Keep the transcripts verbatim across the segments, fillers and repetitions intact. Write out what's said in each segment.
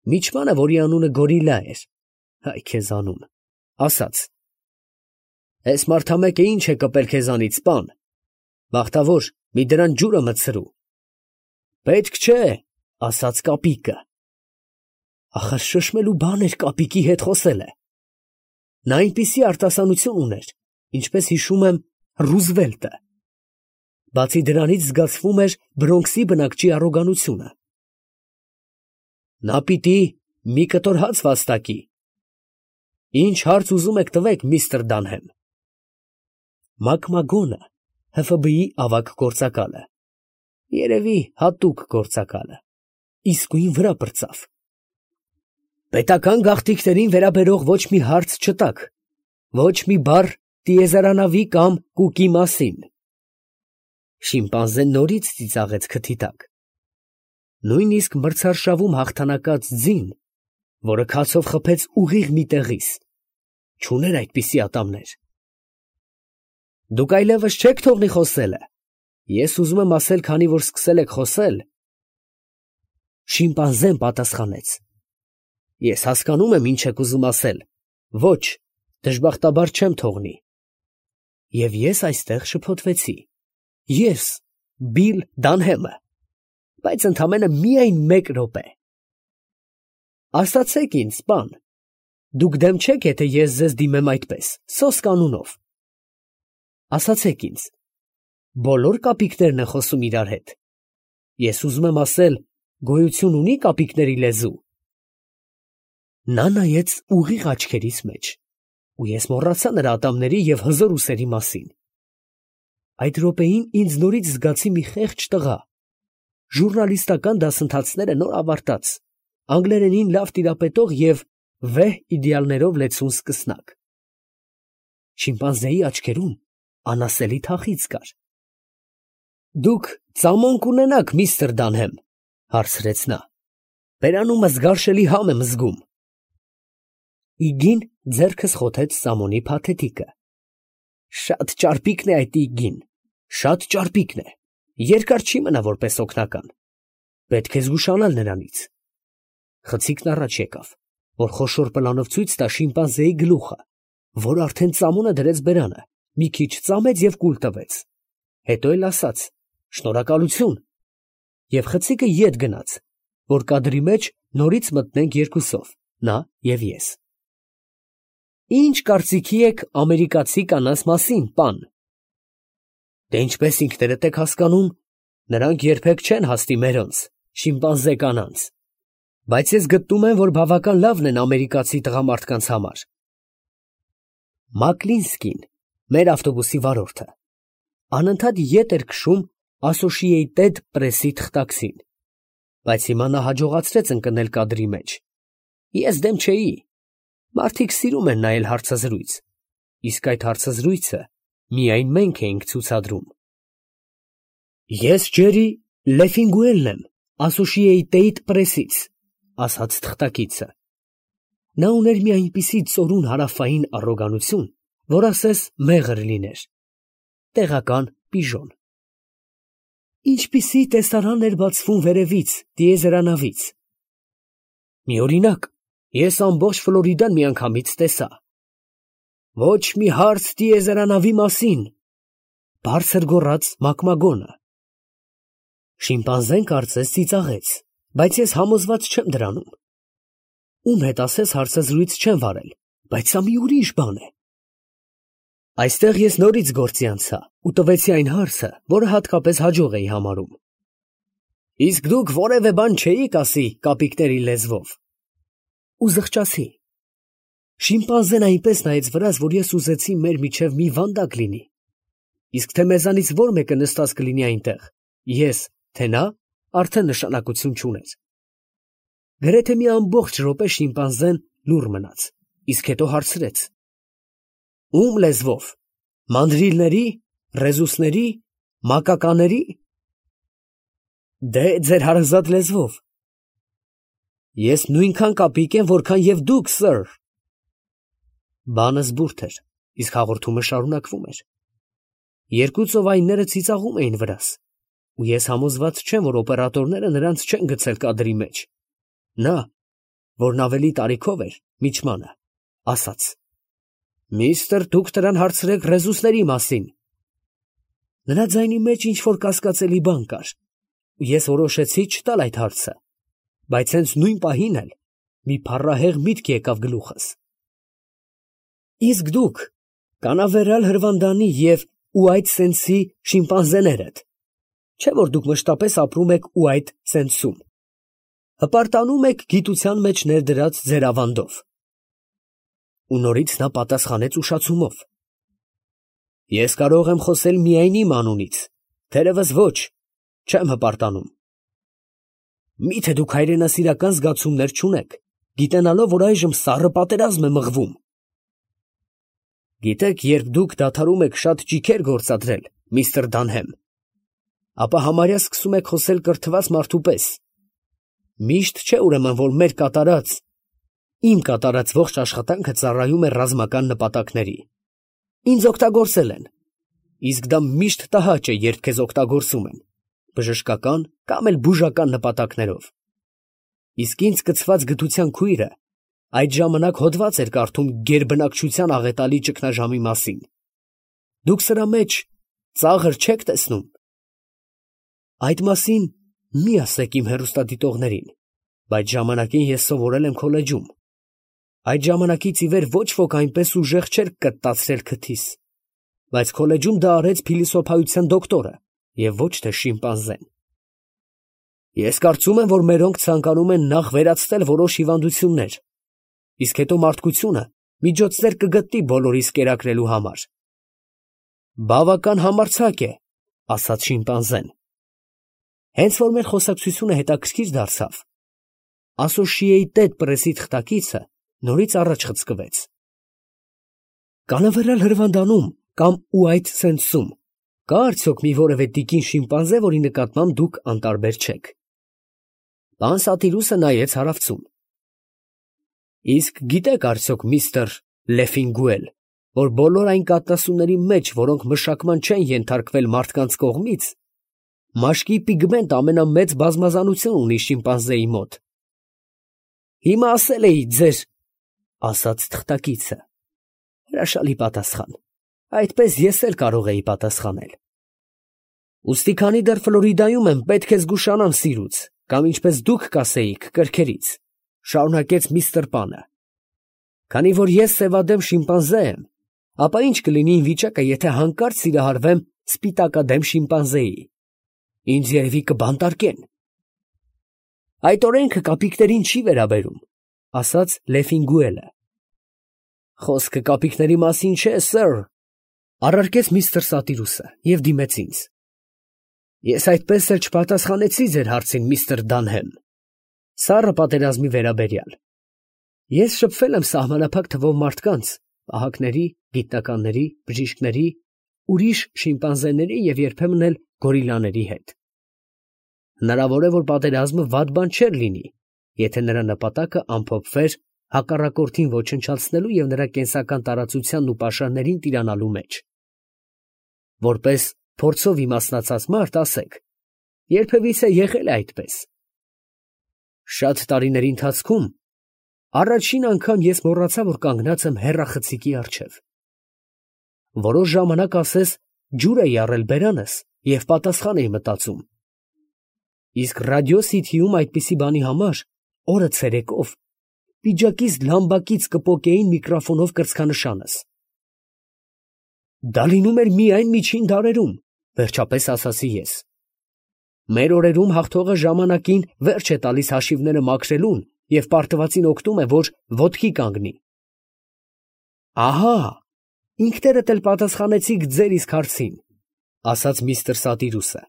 Միջմանը, որի անունը Գորիլլա էր, հայ քեզ անուն, ասաց. «Էս մարդամեկը ինչ է կպել քեզանից, պան, բախտավոր, մի դրան ջուրը մտցրու»։ «Պետք չէ», ասաց կապիկը։ Ախր շշմելու բան էր կապիկի հետ խոսելը։ Նա այնպիսի արտասանություն ուներ, ինչպես հիշում եմ Ռուզվելտը։ Բացի դրանից զգացվում էր Բրոնքսի բնակչի առոգանությունը։ Նա պիտի մի կտոր հաց վաստակի։ Ինչ հարց ուզում եք տվեք, միստր Դանհեմ։ Մակմագոնը Հ Ֆ B-ի ավագ գործակալը, երևի հատուկ գործակալը, իսկույն վրա պրծավ։ Պետական գաղթիքներին վերաբերող ոչ մի հարց չտաք, ոչ մի բառ տիեզերանավի կամ կուկի մասին։ Շիմպանզեն նորից ծիծաղեց քթի տակ։ Նույնիսկ մրցարշավում հաղթանակած ձին, որը քացով խփեց ուղիղ մի տեղից, չուներ այդպիսի ատամներ։ Դուք այլևս չեք թողնի խոսելը։ Ես ուզում եմ ասել, քանի որ սկսել եք խոսել։ Շիմպանզեն պատասխանեց. Ես հասկանում եմ, ինչ եք ուզում ասել։ Ոչ, դժբախտաբար չեմ թողնի։ Եվ ես այստեղ շփոթվեցի։ Ես, Բիլ Դանհեմը, բայց ընդամենը միայն մեկ րոպե։ Ասացեք ինձ, պան, դուք դեմ չեք, եթե ես ձեզ դիմեմ այդպես, սոսկ անունով։ Ասացեք ինձ, բոլոր կապիկներն են խոսում իրար հետ։ Ես ուզում եմ ասել, գոյություն ունի կապիկների լեզու։ Նա նայեց ուղիղ աչքերիս մեջ, ու ես մոռացա նրա ատամների և հզոր ուսերի մասին։ Այդ րոպեին ինձ նորից զգացի մի խեղճ տղա, ժուռնալիստական դասընթացները նոր ավարտած, անգլերենին լավ տիրապետող և վեհ իդեալներով լեցուն սկսնակ։ Շիմպանզեի աչքերում անասելի թախիծ կար։ Դուք ծամոն կունենաք, միստր Դանհեմ, հարցրեց նա։ Բերանումս գարշելի համ եմ զգում։ Իգին ձեռքս խոթեց սամոնի փաթեթիկը։ Շատ ճարպիկն է այդ իգին, շատ ճարպիկն է, երկար չի մնա որպես օգնական։ Պետք է զգուշանալ նրանից։ Խցիկն առաջ եկավ, որ խոշոր պլանով ցույց տա շիմպանզեի գլուխը, որ արդեն ծամոնը դրեց բերանը, մի քիչ ծամեց և կուլ տվեց։ Հետո էլ ասաց. շնորհակալություն, և խցիկը ետ գնաց, որ կադրի մեջ նորից մտնենք երկուսով, նա և ես։ Ինչ կարծիքի եք ամերիկացի կանանց մասին, պան։ Դե ինչպես ինքներդ եք հասկանում, նրանք երբեք չեն հասնի մերոնց, շիմպանզե կանանց, բայց ես գտնում եմ, որ բավական լավն են ամերիկացի տղամարդկանց համար։ Մակլինսկին, մեր ավտոբուսի վարորդը, անընդհատ ետ էր քշում Associated Press-ի թղթակցին, բայց հիմա նա հաջողացրեց ընկնել կադրի մեջ։ Ես դեմ չէի։ Մարդիկ սիրում են նայել հարցազրույց, իսկ այդ հարցազրույցը միայն մենք էինք ցուցադրում։ Ես Ջերի Լեֆինգուելն եմ, Associated Press-ից, ասաց թղթակիցը։ Նա ուներ մի այնպիսի ծորուն հարավային առոգանություն, որ ասես մեղր լիներ։ Տեղական պիժոն։ Ինչպիսի տեսարան էր բացվում վերևից, տիեզերանավից։ Մի օրինակ, ես ամբողջ Ֆլորիդան միանգամից տեսա։ Ոչ մի հարց տիեզերանավի մասին, բարձր գոռաց Մակմագոնը։ Շիմպանզեն կարծես ծիծաղեց, բայց ես համոզված չեմ դրանում։ Ում հետ ասես հարցազրույց չեմ վարել, բայց սա մի ուրիշ բան է։ Այստեղ ես նորից գործի անցա ու տվեցի այն հարցը, որը հատկապես հաջող էի համարում։ Իսկ դուք որևէ բան չէիք ասի կապիկների լեզվով։ Ու զղջացի։ Շիմպանզեն այնպես նայեց վրաս, որ ես ուզեցի մեր միջև մի վանդակ լինի։ Իսկ թե մեզանից որ մեկը նստած կլինի այնտեղ, ես, թե նա, արդեն նշանակություն չուներ։ Գրեթե մի ամբողջ րոպե շիմպանզեն լուռ մնաց, իսկ հետո հարցրեց. Ում լեզվով, մանդրիլների, ռեզուսների, մակակաների։ Դե ձեր հարազատ լեզվով։ Ես նույնքան կապիկ եմ, որքան և դուք, սըր։ Բանը զբուրդ էր, իսկ հաղորդումը շարունակվում էր։ Երկու ծովայինները ծիծաղում էին վրաս, ու ես համոզված չեմ, որ օպերատորները նրանց չեն գցել կադրի մեջ։ Նա, որն ավելի տարիքով էր, միջմանը, ասաց. «Միստր, դուք նրան հարցրեք ռեզուսների մասին»։ Նրա ձայնի մեջ ինչ-որ կասկածելի բան կար։ Ես որոշեցի չտալ այդ հարցը, բայց հենց նույն պահին էլ մի փառահեղ միտք եկավ գլուխս։ Իսկ դուք կանավերալ Հրվանդանի և Ուայթ Սենսի շիմպանզեներ եք, չէ՞ որ դուք մշտապես ապրում եք Ուայթ Սենսում, հպարտանում եք գիտության մեջ ներդրած ձեր ավանդով։ Ու նորից նա պատասխանեց ուշացումով. Ես կարող եմ խոսել միայն իմ անունից, թերևս ոչ, չեմ հպարտանում։ Մի՞թե դուք հայրենասիրական զգացումներ չունեք, գիտենալով, որ այժմ սառը պատերազմ է մղվում։ Գիտեք, երբ դուք դադարում եք շատ ճիգեր գործադրել, միստր Դանհեմ, ապա համարյա սկսում եք խոսել կրթված մարդու պես։ Միշտ չէ ուրեմն, որ մեր կատարած, իմ կատարած ողջ աշխատանքը ծառայում է ռազմական նպատակների։ Ինձ օգտագործել են, իսկ դա միշտ տհաճ է, երբ քեզ օգտագործում են, բժշկական կամ էլ բուժական նպատակներով։ Իսկ ինձ կցված գթության քույրը այդ ժամանակ հոդված էր կարդում գերբնակչության աղետալի ճգնաժամի մասին։ Դուք սրա մեջ ծաղր չեք տեսնում։ Այդ մասին մի ասեք իմ հեռուստադիտողներին, բայց ժամանակին ես սովորել եմ քոլեջում։ Այդ ժամանակից ի վեր ոչ ոք այնպես ուժեղ չէր կտտացրել քթիս, բայց քոլեջում դա արեց փիլիսոփայության դոկտորը և ոչ թե շիմպանզեն։ Ես կարծում եմ, որ մերոնք ցանկանում են նախ վերացնել որոշ հիվանդություններ, իսկ հետո մարդկությունը միջոցներ կգտնի բոլորիս կերակրելու համար։ Բավական համարձակ է, ասաց շիմպանզեն։ Հենց որ մեր խոսակցությունը հետաքրքիր դարձավ, Associated Press-ի թղթակիցը նորից առաջ խցկվեց։ Կանավերալ Հրվանդանում կամ Ուայթ Սենսում կա արդյոք մի որևէ տիկին շիմպանզե, որի նկատմամբ դուք անտարբեր չեք։ Պան Սատիրուսը նայեց հարավցուն։ Իսկ գիտեք արդյոք, միստր Լեֆինգուել, որ բոլոր այն կաթնասունների մեջ, որոնք մշակման չեն ենթարկվել մարդկանց կողմից, մաշկի պիգմենտ ամենամեծ բազմազանություն ունի շիմպանզեի մոտ։ Հիմա ասել էի ձեր, ասաց թղթակիցը։ Հրաշալի պատասխան։ Այդպես ես էլ կարող էի պատասխանել։ Ուստի քանի դեռ Ֆլորիդայում եմ, պետք է զգուշանամ սիրուց, կամ ինչպես դուք կասեիք, կրքերից, շարունակեց միստր Պանը։ Քանի որ ես սևադեմ շիմպանզե եմ, ապա ինչ կլինի իմ վիճակը, եթե հանկարծ սիրահարվեմ սպիտակադեմ շիմպանզեի։ Ինձ երևի կբանտարկեն։ Այդ օրենքը կապիկներին չի վերաբերում, ասաց Լեֆինգուելը։ Խոսքը կապիկների մասին չէ, սըր, առարկեց միստր Սատիրուսը և դիմեց ինձ։ Ես այդպես էլ չպատասխանեցի ձեր հարցին, միստր Դանհեմ, սառը պատերազմի վերաբերյալ։ Ես շփվել եմ սահմանափակ թվով մարդկանց, պահակների, գիտնականների, բժիշկների, ուրիշ շիմպանզեների և երբեմն էլ գորիլաների հետ։ Հնարավոր է, որ պատերազմը վատ բան չէր լինի, եթե նրա նպատակը ամփոփվեր հակառակորդին ոչնչացնելու և նրա կենսական տարածությանն ու պաշարներին տիրանալու մեջ։ Որպես փորձով իմաստնացած մարդ ասեք, երբևիցե եղել է այդպես։ Շատ տարիների ընթացքում առաջին անգամ ես մոռացա, որ կանգնած եմ հեռախցիկի առջև։ Որոշ ժամանակ ասես ջուր էի առել բերանս և պատասխան էի մտածում։ Իսկ ռադիո Սիթիում այդպիսի բանի համար օրը ցերեկով պիջակիս լամբակից կպոկեին միկրոֆոնով կրծքանշանս։ Դա լինում էր միայն միջին դարերում, վերջապես ասացի ես։ Մեր օրերում հաղթողը ժամանակին վերջ է տալիս հաշիվները մաքրելուն և պարտվածին օգնում է, որ ոտքի կանգնի։ Ահա, ինքներդ էլ պատասխանեցիք ձեր իսկ հարցին, ասաց միստր Սատիրուսը։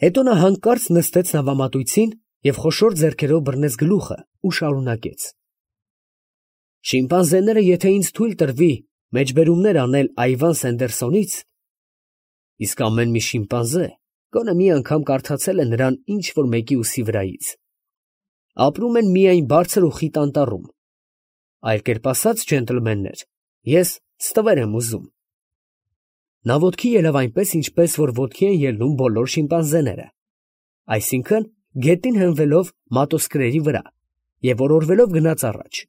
Հետո նա հանկարծ նստեց նավամատույցին և խոշոր ձեռքերով բռնեց գլուխը ու շարունակեց. Շիմպանզեները, եթե ինձ թույլ տրվի մեջբերումներ անել Այվան Սենդերսոնից, իսկ ամեն մի շիմպանզե գոնե մի անգամ կարդացել է նրան ինչ֊որ մեկի ուսի վրայից, ապրում են միայն բարձր ու խիտ անտառում։ Այլ կերպ ասած, ջենտլմեններ, ես ստվեր եմ ուզում։ Նա ոտքի ելավ այնպես, ինչպես որ ոտքի են ելնում բոլոր շիմպանզեները, այսինքն գետին հենվելով մատոսկրերի վրա և որորվելով գնաց առաջ։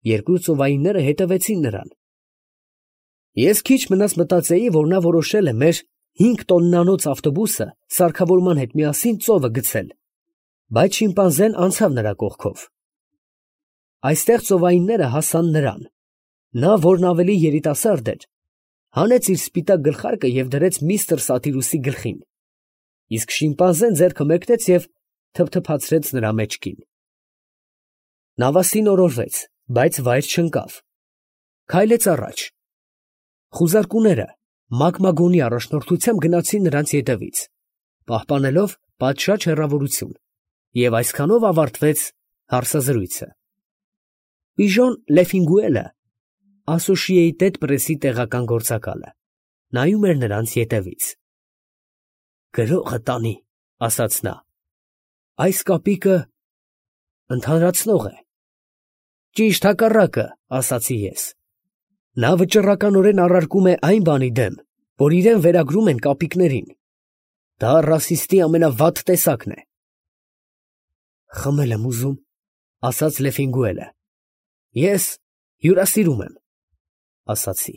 Երկու ծովայինները հետևեցին նրան։ Ես քիչ մնաց մտածեի, որ նա որոշել է մեր հինգ տոննանոց ավտոբուսը սարքավորման հետ միասին ծովը գցել, բայց շիմպանզեն անցավ նրա կողքով։ Այստեղ ծովայինները հասան նրան։ Նա, որն ավելի երիտասարդ էր, հանեց իր սպիտակ գլխարկը և դրեց միստր Սատիրուսի գլխին, իսկ շիմպանզեն ձեռքը մեկնեց և թփթփացրեց նրա մեջքին։ Նավաստին օրորվեց, բայց վայր չընկավ։ Քայլեց առաջ։ Խուզարկուները մագմագոնի առաջնորդությամբ գնացին նրանց ետևից, պահպանելով պատշաճ հեռավորություն, և այսքանով ավարտվեց հարցազրույցը։ Պիժոն Լեֆինգուելը, Ասոշիեյթեդ Պրեսի տեղական գործակալը, նայում էր նրանց ետևից։ «Գրողը տանի», ֊ ասաց նա, ֊ «այս կապիկը ընդհանրացնող է»։ «Ճիշտ հակառակը», ֊ ասացի ես։ «Նա վճռականորեն առարկում է այն բանի դեմ, որ իրան վերագրում են կապիկներին։ Դա ռասիստի ամենավատ տեսակն է»։ «Խմել եմ ուզում», ֊ ասաց Լեֆինգուելը։ «Ես հյուրասիրում եմ», ֊ ասացի։